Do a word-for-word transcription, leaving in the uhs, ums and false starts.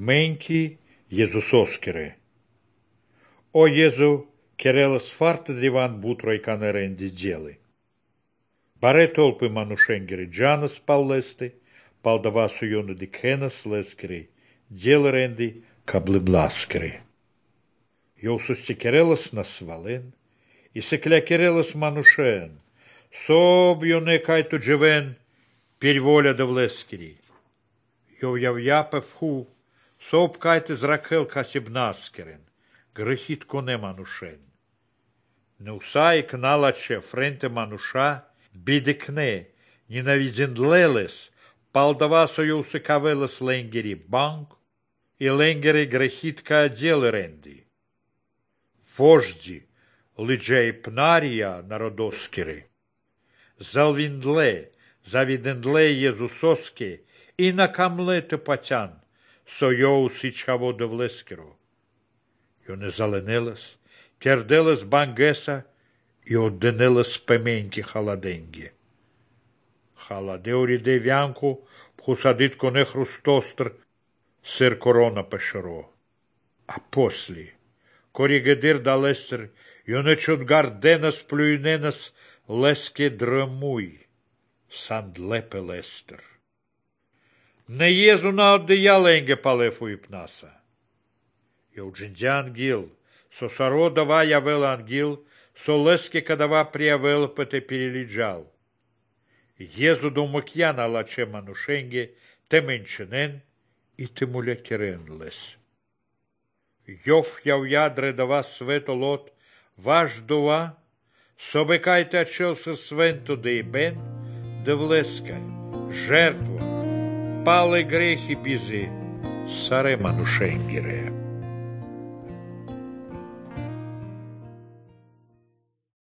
Menki Jezusoskere. O Jezu, kerelas farta divan butroi kanerendi djeli. Bare tolpi manušengeri džanas pallesti, paldavasu jonu dikhenas leskeri, djelerendi kabli blaskeri. Jau susikerelas nasvalen, isekle kerelas manušen, sob jone kaitu dževen, переволя да влескери. Jau jau japef hu, sob kaitis rakel kasibnaskeren, grechit kone manushen. Neusai knalače frente manuša, bidikne, nenavidzinleles, paldavaso jau sekavelas lengeri bank, и лengeri grechitка делереndi. Вожди, лиджей пнария народоскери, залвиндле, завидендле Jezusosке, и на камлете патян, со йоу сичаво довлескеро. Йо не заленелас, керделас бангеса, и отденелас пеменки халаденге. Халадеори девянку, пхусадит коне хрустостр, сер корона пешеро. А после, коригедир далестер, йо не чудгар денас плюйненас, леске драмуй. Сандлепе лестер. Не езу на одеяленге палефу и пнаса. Йоуджинди ангил, со саро дава явел ангил, со леске кадава приявел пете перелиджал. Езу до макьяна лаче манушенге, те менченен и те муля керен лес. Йов яв ядре дава свето лот, ваш дова, собекайте отчелся свенто да и бен, да влеска, жертва, пали грехи бизи, саре манушенгире.